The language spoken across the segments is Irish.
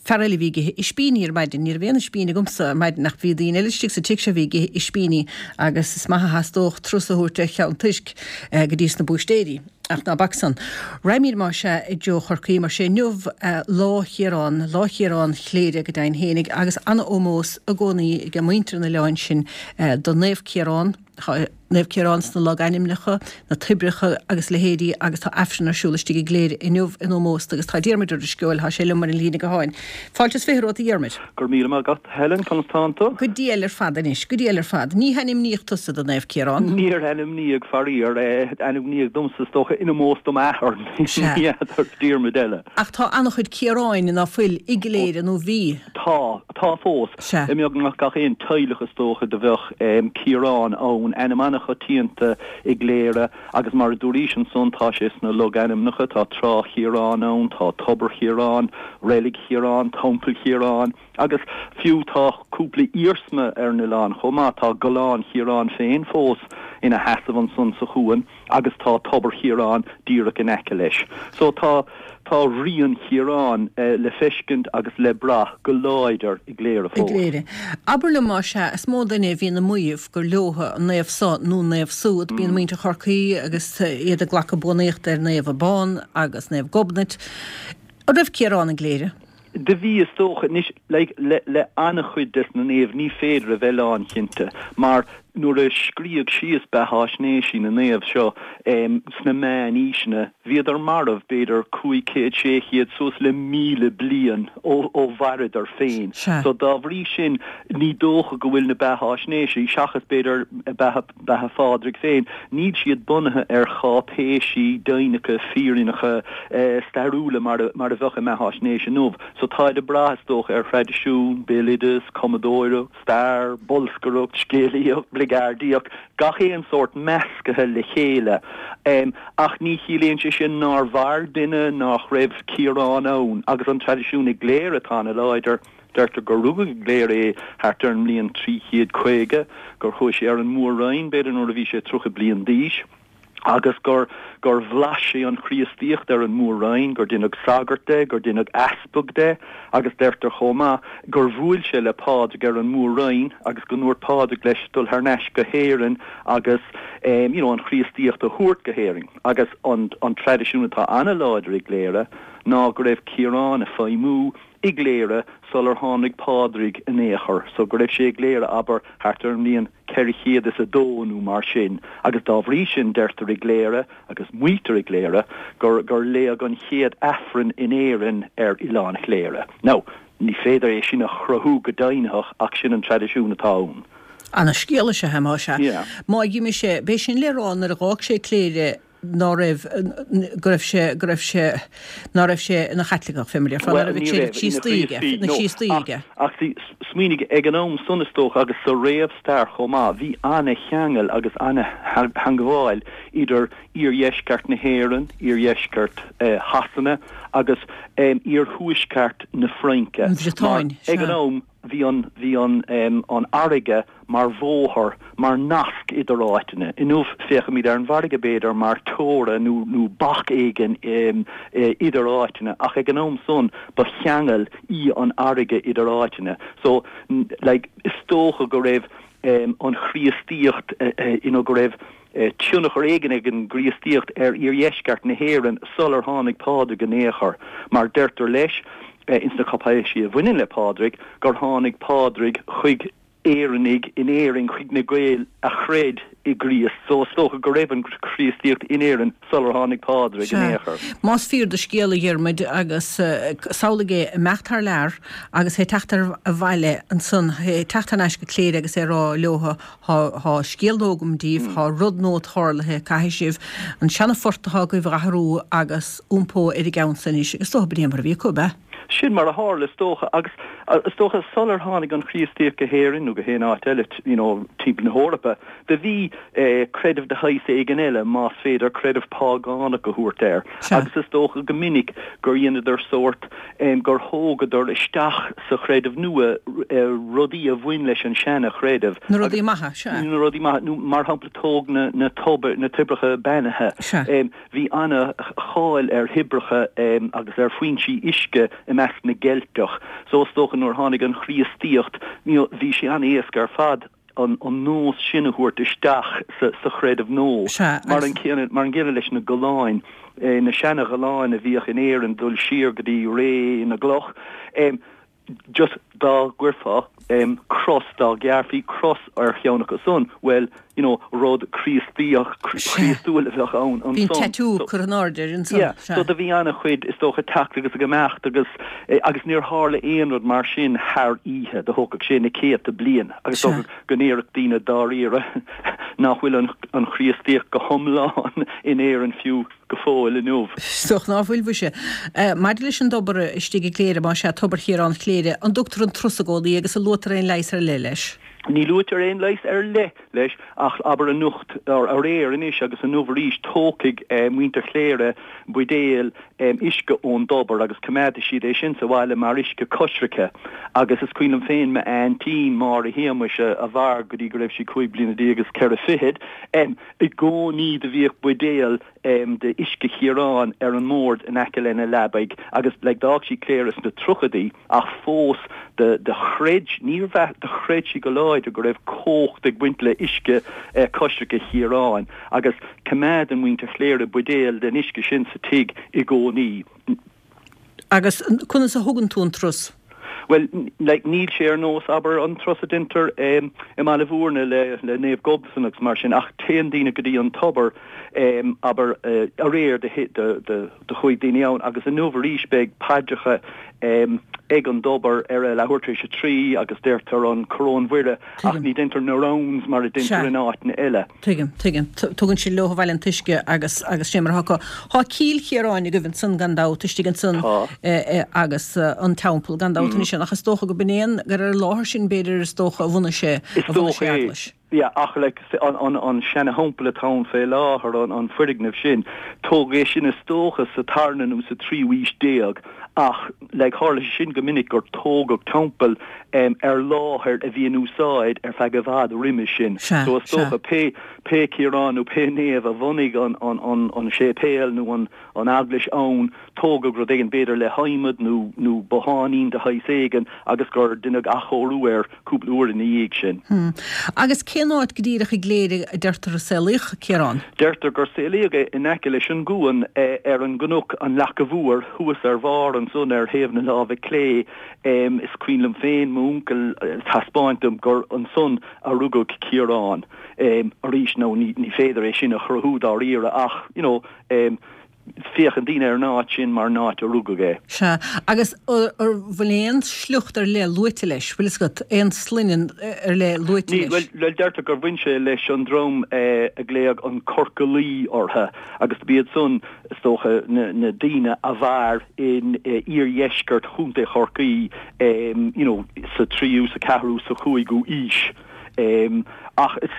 Fear eile a bhí ag ithe ispíní ar maidin. Ní raibh aon ispín agamsa ar maidin ach bhí daoine eile istigh sa tigh seo a bhí ag ithe ispíní agus is maith a theastódh turas a thabhairt ar cheann toisc go dtí sna búistéirí. Ach ná bac san. Raghaimid más ea i dtreo Chorcaí mar sé inniu Lá Chiaráin, Lá Chiaráin Chléire go deimhin fhéinig agus ana-ómós i gcónaí ag muintir an oileáin sin do Naomh Ciarán. Tá Naomh Ciarán sna logainmneacha, na toibreacha agus leithéidí agus tá Aifreann ar siúl istigh i gCléire inniu in ómós do agus tá Diarmuid Ó Drisceoil, tá sé liom ar an líne gutháin. Fáilte is 20 romhat a Dhiarmuid. Go raibh míle maith agat, Helen, conas tánn tú? Go diail ar fad anois, go diail ar fad. Ní hainmníodh tusa do Naomh Ciarán. Níor ainmníodh, faraor. Ainmníodh domsa, is dócha, in ómós do m'athair, ní fheadar Diarmuid eile. Ach tá an-chuid Ciaráin ná fuil i gCléire nó bhí. Tá. Tá fós. Sea. I mbeagnach gach aon teaghlach is dócha do bheadh Ciarán ann, ainm an-choitianta i gCléire agus mar a dúraís ansan tá sé sna logainmneacha, tá Trá Chiaráin ann, tá Tobar Chiaráin, Reilig Chiaráin, Teampall Chiaráin agus fiú tá cúpla iarsma ar an oileán chomh maith, tá Gallán Chiaráin féin fós ina sheasamh ansan sa chuan. agus tá Tobar Chiaráin díreach in aice leis. So tá tá rian Chiaráin le feiscint agus le brath go láidir i gCléire I fós. gCléire. Abair liom más ea, is mó duine a bhíonn ag maíomh gur leotha an naomh so nó an naomh súd. Bíonn muintir Chorcaí agus iad ag glacadh buannaíochta ar Naomh Abán agus Naomh Gobnait. An raibh Ciarán i gCléire? Do bhí, is dócha. Anois, like, le, le an-chuid des na naoimh, ní féidir a bheith lánchinnte, mar nuair a scríodh síos beatháisnéisí na naomh seo, em, sna meánaoiseanna, bhíodar marbh, b'fhéidir, 500, 600, suas le 1,000 bliain ó, ó mhaireadar féin. Sea. So, dá bhrí sin, ní dócha go bhfuil na beatháisnéisí, seachas, b'fhéidir, beatha, beatha Phádraig féin, níl siad bunaithe ar cháipéisí deimhneacha, fírinneacha, stairiúla mar a bheadh i mbeatháisnéis inniu. So táid ag brath, is dócha, ar thraidisiún, béaloideas, cumadóireacht, stair, bolscaireacht, scéalaíocht, bligeardaíocht, gach aon sórt meascaithe le chéile. Ach ní chiallaíonn sé sin nár mhair duine, nach raibh Ciarán ann. Agus an traidisiún i gCléire atá ana-láidir, deirtear gur rugadh i gCléire é thart ar an mbliain 350, gur chuaigh sé ar an Mór-Roinn, b'fhéidir nuair a bhí sé 30 bliain d'aois. agus gur gur bhlais sé an Chríostaíocht ar an Mór-Roinn, gur deineadh sagart de, gur deineadh easpag de, agus deirtear chomh maith gur bhuail sé le Pádraig ar an Mór-Roinn agus go ndúirt Pádraig leis dul thar n-ais go hÉirinn agus you know an Chríostaíocht a thabhairt go hÉirinn. Agus an an traidisiún atá ana-láidir i gCléire ná go raibh Ciarán ag feidhmiú i gCléire sular tháinig Pádraig in aon chor, so go raibh sé i gCléire, abair, thart ar an mbliain 402 nó mar sin, agus dá bhrí sin deirtear i gCléire, agus maítear i gCléire, gur gur léadh an chéad Aifreann in Éirinn ar Oileán Chléire. Now, ní féidir é sin a chruthú go deimhnitheach ach sin an traidisiún atá ann. Ana-scéal is ea é, más ea. Yeah. Má d'imigh sé, b'é sin le rá nuair a dh'fhág sé Cléire, ná raibh, go raibh sé, go raibh sé, ná raibh sé ina Chaitliceach, fé mar a déarfá, ná Bhuel, raibh ní an raibh, creideamh ina Críostaí aige, Chríostaí, ina no. Chríostaí Ach, aige. ach see, smaoinigh, ag an am san, is dócha, agus sa réamhstair chomh maith, bhí ana-cheangal agus ana-theangmháil idir iardheisceart na hÉireann, iardheisceart Shasana agus iarthuaisceart na Fraince. An Mar, Bhriotáin, ag an sea. am, bhí an, bhí an, an fharraige mar bhóthar, mar nasc idir áiteanna. Inniu, féachaimid ar an bhfarraige, b'fhéidir, mar teora nó, nó bac éigin idir áiteanna, ach ag an am san, ba cheangal í an fharraige idir áiteanna. So, like, is dócha go raibh an Chríostaíocht, you know, go raibh tionchar éigin ag an gCríostaíocht ar iardheisceart na hÉireann sular tháinig Pádraig in aon chor, mar deirtear leis, ins na cáipéisí a bhaineann le Pádraig, gur tháinig Pádraig chuig Éireannaigh in Éirinn, chuig na Gaeil a chreid i gCríost. So is dócha go raibh an Chríostaíocht in Éirinn sular tháinig Pádraig in Sea. aon chor. Más fíor do scéal, a Dhiarmuid, agus samhlaigh é ag imeacht thar lear agus é ag teacht abhaile ansan, é ag teacht thar n-ais go Cléire agus é ag rá leotha, Thá scéal nua agam daoibh, thá rud nua tarlaithe, caithfidh sibh an seana-phort atá agaibh a dh'athrú agus iompó ar an gceann so anois, agus is dócha b'in é mar a bhí acu, ab ea? Sin mar a tharla, is dócha, agus is dócha sular tháinig an Chríostaíocht go hÉirinn nó go haon áit eile, you know, timpeall na hEorpa, do bhí creideamh de shaghas éigin eile, más féidir creideamh págánach a thabhairt air, agus is dócha go minic gur dheineadar sórt, gur thógadar isteach sa chreideamh nua rudaí a bhain leis an seana-chreideamh. Na rudaí maithe, sea. Na rudaí maithe, nó mar shampla tóg na, na tobair, na toibreacha beannaithe. Sea. Bhí ana-cháil ar thoibreacha agus ar foinsí uisce i measc na gCeilteach. So is dócha nuair a tháinig an Chríostaíocht, you know, bhí sé an-éasca ar fad an nós sin a thabhairt isteach sa chreideamh nua. Sea, Mar an gcéanna, mar an gcéanna leis na galláin, na seana-ghalláin a bhíodh in Éirinn dul siar go dtí ré na gcloch, just dá gcuirfeá cros, dá ghearrfaí cros ar cheann acu san, bhuel, you know, rud Críostaíoch, Críostúil a bheadh ann ansan. Bhí an tattoo curtha in airde air ansan. Yeah, so do bhí an-chuid, is dócha, teacht agus ag imeacht agus, agus níor tharla aon rud mar sin thar oíche, do thógfadh sé na céadta bliain agus is dócha go ndéarfadh daoine dáiríre nach bhfuil an, an Chríostaíocht go hiomlán in Éirinn fiú go fóill inniu. Is dócha ná fuil, mhuise. Maidir leis an dtobar istigh i gCléire, más ea, Tobar Chiaráin Chléire, an dtugtar an trus i gcónaí agus an luaitear aon leigheas ar leith leis? Ní luaitear aon leigheas ar leith leis ach abair anocht, aréir anois agus inniu arís, tógfaidh muintir Chléire buidéal uisce ón dtobar agus coimeádfaidh siad é sin sa bhaile mar uisce coisricthe agus is cuimhin liom féin m'aintín Máire Shéamuis a mhair go dtí go raibh sí 15 bliana is ceithre fichid, i gcónaí do bhíodh buidéal de uisce Chiaráin ar an mbord in aice lena leabaidh agus like d'fhág sí Cléire sna tríochaidí ach fós do do chreid, níor mheas, do chreid sí go láidir go raibh cumhacht ag baint le uisce coisricthe Chiaráin agus coimeádann muintir Chléire buidéal den uisce sin sa tigh i gcónaí. Agus conas a thugann tú an trus? Bhuel, like, níl sé ar nós, abair, an trus a deintear i mBaile Mhúirne le, le Naomh Gobnatan agus mar sin, ach téann daoine go dtí an tobar, abair, aréir do, do, do, do chuaigh daoine ann agus inniu arís beidh paidreacha ag an dtobar ar a leathuair tar éis a trí agus deirtear an Coróin Mhuire ach ní deintear na rounds mar a deintear in áiteanna eile. Tuigim, tuigim. Tugann siad leo abhaile an t-uisce agus, agus sin mar atá acu. Tá Cill Chiaráin agaibh ansan gan dabht, istigh ansan Tá. agus an teampall gan dabht anois ach is dócha go b'in é an, gur ar an láthair sin b'fhéidir is dócha a bhunaigh sé, Is a bhunaigh dócha sé é. eaglais. Yeah, ach like an, an, an seana-theampall atá ann fé láthair, an, an foirgneamh sin, tógadh é sin is dócha sa tarna nó sa tríú haois déag ach like tharla sé sin go minic gur tógadh teampall ar láthair a bhí in úsáid ar feadh i bhfad roimis sin. Sea, So is sea. dócha pé, pé Ciarán nó pé naomh a bhunaigh an, an, an, an séipéal nó an, an eaglais ann, tógadh rud éigin b'fhéidir le hadhmad nó, nó botháinín de shaghas éigin agus gur deineadh athchóiriú air cúpla uair ina dhiaidh sin. Hm. Agus cén áit go díreach i gCléire a deirtear a saolaíodh Ciarán? Deirtear gur saolaíodh é in aice leis an gcuan ar an gcnoc, an Leaca Mhór, thuas ar bharr ansan ar thaobh na láimhe clé. Is cuimhin liom féin m'uncail ag taispeáint dom gur ansan a rugadh Ciarán. Arís, now ní féidir é sin a chruthú dáiríre ach, you know, féachann daoine ar an áit sin mar an áit a rugadh é. Sea. Agus an bhfuil aon sliocht ar leith luaite leis? Bhfuil fhios agat, aon sloinne ar leith luaite leis? Bhuel, deirtear gur bhain sé leis an dream a glaodh an Corcalaí orthu agus b'iad san, is dócha, na daoine a mhair in iardheisceart Chontae Chorcaí you know sa tríú, sa ceathrú, sa chúigiú aois. Ach is,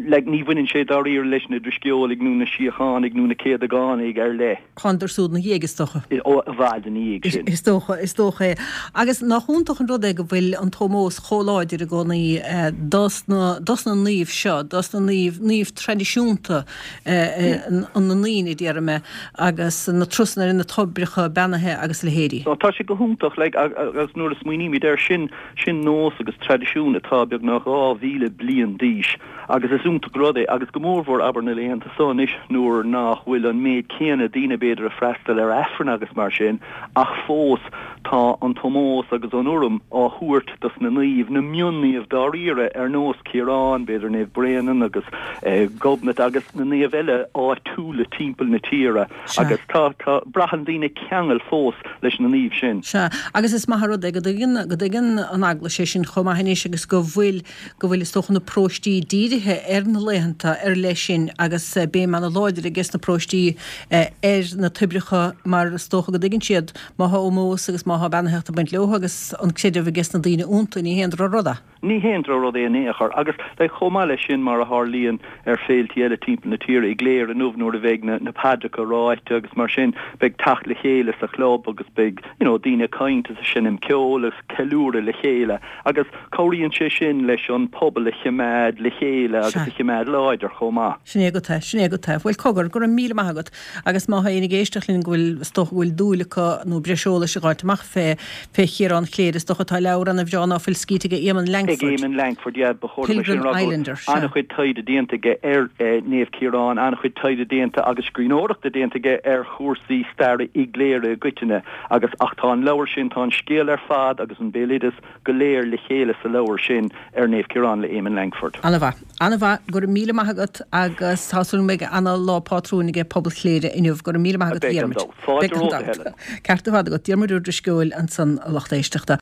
like, ní bhaineann sé dáiríre leis na Drisceolaigh nó na Síochánaigh nó na Céadagánaigh ar leith. Thánadar siúd ina dhiaidh, is dócha. Ó, i bhfad ina dhiaidh sin. Is dócha, is dócha é. Agus nach iontach an rud é go bhfuil an t-ómós chomh láidir i gcónaí dos na, dos na naoimh seo, dos na naoimh, naoimh traidisiúnta na ndaoine, déarfaidh mé, agus na trusanna ar na toibreacha beannaithe agus a leithéidí. Tá sé go hiontach, like, agus nuair a smaoinímid air sin, Sin nós agus traidisiún atá beagnach 2,000 bliain d'aois agus is iontach rud é agus go mórmhór abair na laethanta seo anois nuair nach bhfuil an méid céanna daoine b'fhéidir ag freastal ar Aifreann agus mar sin ach fós tá an t-ómós agus an urraim á thabhairt dos na naoimh, na mion-naoimh dáiríre ar nós Ciarán, b'fhéidir Naomh Bréanainn agus Gobnait agus na naoimh eile áitiúla timpeall na tíre. Sea. Agus tá, tá, braitheann daoine ceangal fós leis na naoimh sin. Sea. Agus is maith an rud é go dtuigeann, go dtuigeann an Eaglais é sin chomh maith anois agus go bhfuil, go bhfuil is dócha na paróistí dírithe ar na laethanta ar leith sin agus béim ana-láidir ages na paróistí ar na toibreacha mar is dócha go dtuigeann siad má thá ómós agus má thá beannaitheacht ag baint leo agus an creideamh ages na daoine iontu ní haon droch rud é. Ní haon drochrud é in aon chor. Agus like chomh maith leis sin, mar a tharlaíonn ar féiltí eile timpeall na tíre, i gCléire inniu nuair a bheidh na na paidreacha ráite agus mar sin, beidh teacht le chéile sa chlub agus beidh you know daoine ag caint agus ag seinm ceoil agus ceiliúradh le chéile agus cabhraíonn sé sin leis an pobal a chimeád le chéile agus a chimeád láidir chomh maith. Sin é agat é, sin é agat é. Bhuel cogar, go raibh míle maith agat. Agus má tá éinne ag éisteacht linn go bhfuil, is dócha go bhfuil dúil acu nó breis eolais a dh'fháilt amach fé, fé Chiarán Chléire, is dócha tá leabhar ana bhreá ná fuil scríte aige Éamonn Ag Lankford, Éamonn Lankford, yeah, ba chóir dom é sin a Pilgrim rá, go bhfuil Islander, sea. an-chuid taighde déanta aige ar Naomh Ciarán, an-chuid taighde déanta agus scríbhneoireachta déanta aige ar chúrsaí staire i gCléire i gcoitinne agus, ach tá an leabhar sin, tá an scéal ar fad agus an béaloideas go léir le chéile sa leabhar sin ar Naomh Ciarán le Éamonn Lankford. Ana-mhaith. Ana-mhaith. Go raibh míle maith agat agus tá súil go mbeidh ana-lá pátrúin aige pobal Chléire inniu. Go raibh míle maith agat a Beidh gan Dhiarmuid. dabht. Fáilte Beidh gan romhat a dabht. Helen. Ceart ar fad agat. Diarmuid Ó Drisceoil ansan a lucht éisteachta.